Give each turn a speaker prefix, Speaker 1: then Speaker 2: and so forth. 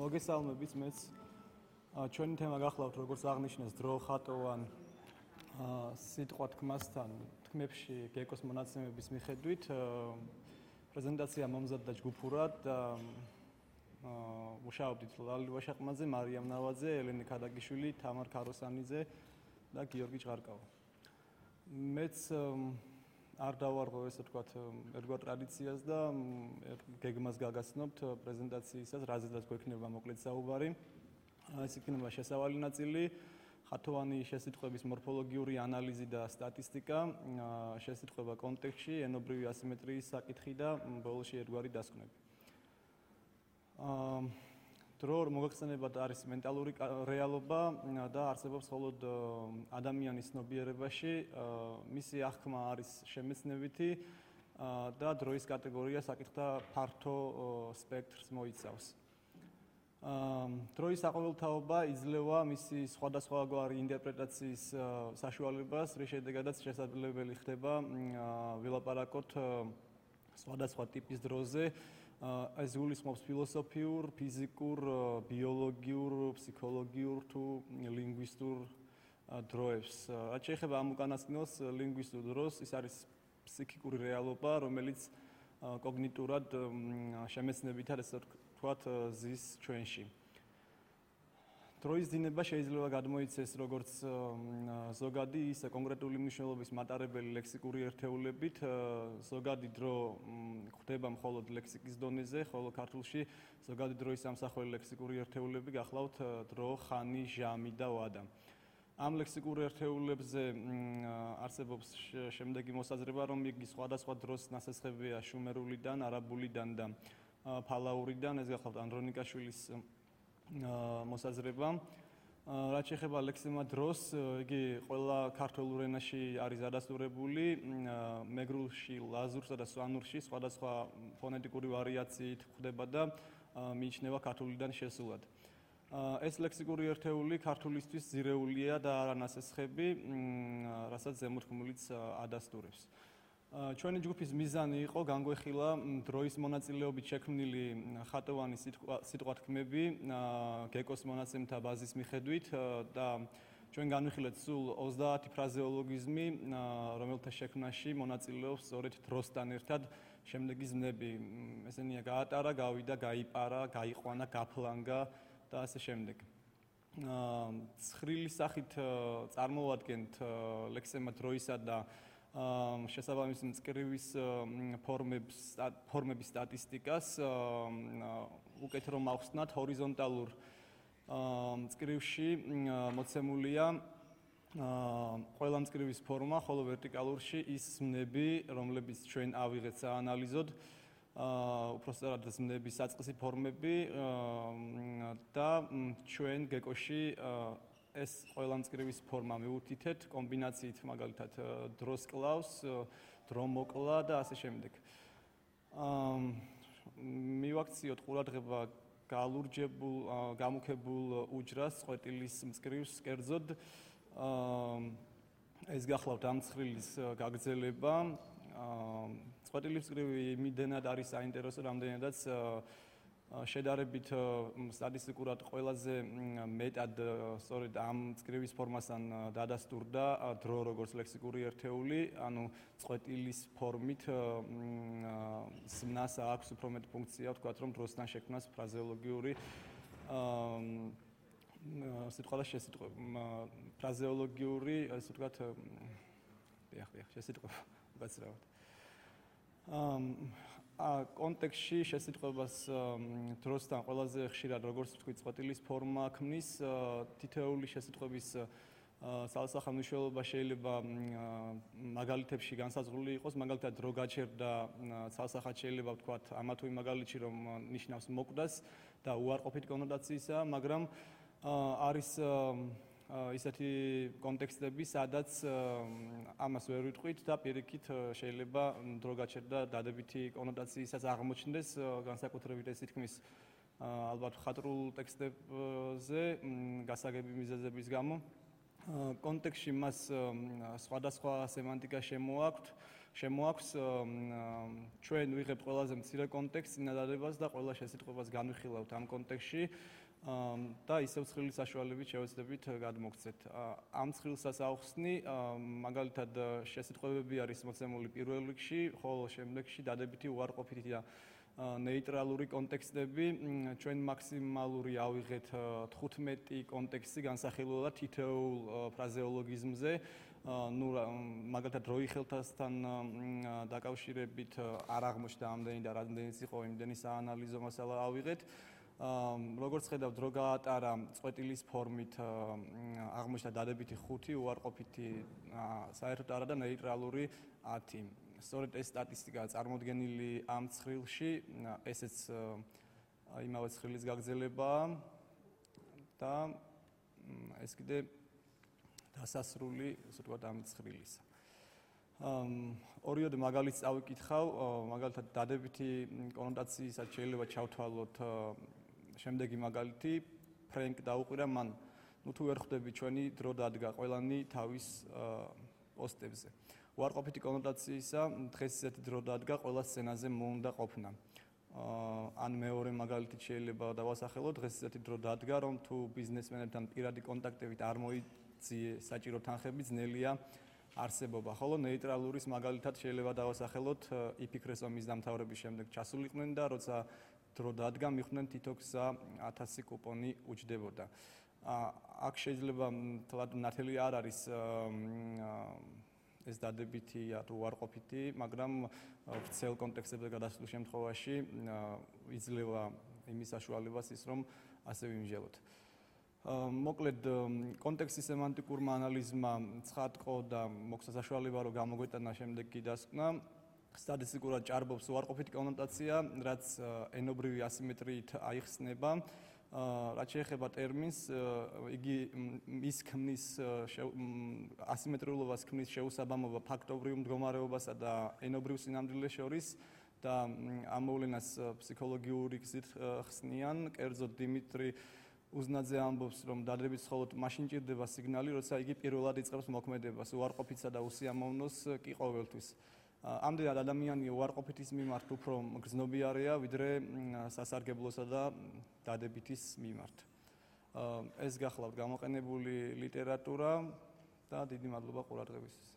Speaker 1: მოგესალმებით მეც ჩვენი თემა გახლავთ როგორც აღნიშნეს დრო ხატოვან სიტყვა თქმასთან თქმებში გეკოს მონაცემების მიხედვით პრეზენტაცია მომზადდა ჯგუფურად და მუშაობდით ლალი ვაშაყმაძე, მარიამ ნავაძე, ელენე ქადაგიშვილი, თამარ ქაროსანიძე და გიორგი ჭღარკავა. მეც არ დავარღვევ ესე ვთქვათ ერთგვარ ტრადიციას და გეგმას გაგაცნობთ პრეზენტაციისას, რაზედაც გვექნება მოკლედ საუბარი. ეს იქნება შესავალი ნაწილი, ხათოვანი შესიტყვების მორფოლოგიური ანალიზი და სტატისტიკა, შესიტყვება კონტექსტში, ენობრივი ასიმეტრიის საკითხი და ბოლოში ერთგვარი დასკვნები. დრო მოგახსენებათ არის მენტალური რეალობა და არსებობს მხოლოდ ადამიანის ცნობიერებაში, მისი აღქმა არის შემეცნებითი და დროის კატეგორია საკითხთა ფართო სპექტრს მოიცავს. დროის საყოველთაობა იძლევა მისი სხვადასხვაგვარი ინტერპრეტაციის საშუალებას, რის შედეგადაც შესაძლებელი ხდება ვილაპარაკოთ სხვადასხვა ტიპის დროზე. ეს გულისხმობს ფილოსოფიურ, ფიზიკურ, ბიოლოგიურ, ფსიქოლოგიურ თუ ლინგვისტურ დროებს. რაც შეეხება ამ უკანასკნელს ლინგვისტურ დროს, ის არის ფსიქიკური რეალობა, რომელიც კოგნიტურად შემეცნებითად ესე ვთქვათ ზის ჩვენში. დროის დინება შეიძლება გადმოიცეს როგორც ზოგადი, ისე კონკრეტული მნიშვნელობის მატარებელი ლექსიკური ერთეულებით. ზოგადი დრო ხდება მხოლოდ ლექსიკის დონეზე, ხოლო ქართულში ზოგადი დროის ამსახველი ლექსიკური ერთეულები გახლავთ დრო, ხანი, ჟამი და ვადა. ამ ლექსიკურ ერთეულებზე არსებობს შემდეგი მოსაზრება, რომ იგი სხვადასხვა დროს ნასესხებია შუმერულიდან, არაბულიდან და ფალაურიდან, ეს გახლავთ ანდრონიკაშვილის მოსაზრება. რაც შეეხება ლექსემა დროს, იგი ყველა ქართულ ენაში არის ადასტურებული, მეგრულში, ლაზურსა და სვანურში სხვადასხვა ფონეტიკური ვარიაციით ხდება და მიიჩნევა ქართულიდან შესულად. ეს ლექსიკური ერთეული ქართულისთვის ძირეულია და არანასესხები, რასაც ზემოთქმულიც ადასტურებს. ჩვენი ჯგუფის მიზანი იყო განგვეხილა დროის მონაწილეობით შექმნილი ხატოვანი სიტყვათქმები გეკოს მონაცემთა ბაზის მიხედვით და ჩვენ განვიხილეთ სულ 30 ფრაზეოლოგიზმი, რომელთა შექმნაში მონაწილეობს სწორედ დროსთან ერთად შემდეგი ზმნები. ესენია გაატარა, გავიდა, გაიპარა, გაიყვანა, გაფლანგა და ასე შემდეგ. ცხრილი სახით წარმოვადგენთ ლექსემა დროისა და შესაბამისი მწკრივის ფორმების სტატისტიკას. უკეთ რომ ახსნათ, ჰორიზონტალურ მწკრივში მოცემულია ყველა მწკრივის ფორმა, ხოლო ვერტიკალურში ის ზმნები, რომლებიც ჩვენ ავიღეთ საანალიზოდ, უпростоრად ზმნების საწყისი ფორმები და ჩვენ გეკოში ეს ყველა მწკრივის ფორმა მივუთითეთ კომბინაციით, მაგალითად დროს კლავს, დრო მოკლა და ასე შემდეგ. მივაქციოთ ყურადღება გალურჯებულ, გამუქებულ უჯრას, წყვეტილის მწკრივს კერძოდ. ეს გახლავთ ამ ცხრილის გაგრძელება. წყვეტილის მწკრივი იმდენად არის საინტერესო, რამდენადაც შედარებით სტატისტიკურად ყველაზე მეტად სწორედ ამ მწკრივის ფორმასთან დადასტურდა დრო როგორც ლექსიკური ერთეული, ანუ წყვეტილის ფორმით ზმნას აქვს უფრო მეტ ფუნქცია, ვთქვათ, რომ დროსთან შექმნას ფრაზეოლოგიური სიტყვა და შესიტყვა, ფრაზეოლოგიური, ასე ვთქვათ, შესიტყვა, უკაცრავად. კონტექსტში შესიტყვებას დროსთან ყველაზე ხშირად როგორც ვთქვით, წყვეტილის ფორმა ქმნის. თითოეული შესიტყვების სალსახა მნიშვნელობა შეიძლება მაგალითებში განსაზღვრული იყოს, მაგალითად დრო გაჩერდა სალსახად შეიძლება ვთქვათ ამა თუ იმ მაგალითში, რომ ნიშნავს მოკვდას და უარყოფით კონოტაციისა, მაგრამ არის ისეთი კონტექსტები, სადაც ამას ვერ ვიტყვით და პირიქით შეიძლება დრო გაჩერდა დადებითი კონოტაციისას აღმოჩნდეს, განსაკუთრებით ეს თქმის ალბათ ხატრულ ტექსტებზე გასაგები მიზეზების გამო. კონტექსტში მას სხვადასხვა სემანტიკა შემოაქვთ, შემოაქვს ჩვენ ვიღებთ ყველაზე მცირე კონტექსტს, წინადადებას და ყველა შესიტყვებას განვიხილავთ ამ კონტექსტში და ისევ ცხრილის საშუალებით შევეცდებით გადმოგცეთ. ამ ცხრილსაც ავხსნი, მაგალითად შესიტყვებები არის მოცემული პირველ რიგში, ხოლო შემდეგში დადებითი უარყოფითი და ნეიტრალური კონტექსტები, ჩვენ მაქსიმალური ავიღეთ 15 კონტექსტი განსახილველად თითოეულ ფრაზეოლოგიზმზე. მაგალითად დროიხელთასთან დაკავშირებით არ აღმოჩნდა ამდენი და რამდენიც იყო იმდენი საანალიზო მასალა ავიღეთ. როგორც ხედავთ, დრო გაატარა წყვეტილის ფორმით აღმოჩნდა დადებითი 5, უარყოფითი საერთოდ არა და ნეიტრალური 10. სწორედ ეს სტატისტიკაა წარმოდგენილი ამ ცხრილში, ესეც იმავე ცხრილის გაგრძელებაა და ეს კიდე დასასრული, ასე ვთქვათ, ამ ცხრილისა. ორიოდე მაგალითს წავიკითხავ, მაგალითად დადებითი კონოტაციისად შეიძლება ჩავთვალოთ შემდეგი მაგალითი, ფრენკ დაუყირა მან, თუ ვერ ხვდები ჩვენი დრო დადგა ყველანი თავის პოსტებზე. უარყოფითი კონოტაციისა დღეს ისეთი დრო დადგა ყველა სცენაზე მოუნდა ყოფნა. ან მეორე მაგალითით შეიძლება დავასახელოთ, დღეს ისეთი დრო დადგა, რომ თუ ბიზნესმენებთან პირადი კონტაქტებით არ მოიწიე საჭირო თანხები, ძნელია არსებობა. ხოლო ნეიტრალურის მაგალითად შეიძლება დავასახელოთ, იფიქრეს რომ მის დამთავრების შემდეგ ჩასულიყვნენ და როცა დრო დადგა, მიხვდნენ თითო გზა 1000 კუპონი უჯდებოდა. აქ შეიძლება თლად ნათელი არ არის ეს დადებითი თუ უარყოფითი, მაგრამ ვრცელ კონტექსტებზე გადასულ შემთხვევაში იძლევა იმის საშუალებას ის, რომ ასე ვიმსჯელოთ. მოკლედ, კონტექსტის სემანტიკურმა ანალიზმა ცხადყო და მოგცა საშუალება, რომ გამოგვეტანა შემდეგი დასკვნა. სტატისტიკურად ჭარბობს უარყოფითი კონოტაცია, რაც ენობრივი ასიმეტრიით აიხსნება. რაც შეეხება ტერმინს, იგი მის ქმნის ასიმეტრიულობას ქმნის შეუსაბამობა ფაქტობრივ მდგომარეობასა და ენობრივ სინამდვილეს შორის და ამ მოვლენას ფსიქოლოგიური გზით ხსნიან. კერძოდ დიმიტრი უზნაძე ამბობს, რომ დადებითს მხოლოდ მაშინ ჭირდება სიგნალი, როცა იგი პირველად იწყებს მოქმედებას, უარყოფითსა და უსიამოვნოს კი ყოველთვის. ამდენად ადამიანი უარყოფითის მიმართ უფრო გრძნობიარეა, ვიდრე სასარგებლოსა და დადებითის მიმართ. ეს გახლავთ გამოყენებული ლიტერატურა და დიდი მადლობა ყურადღებისთვის.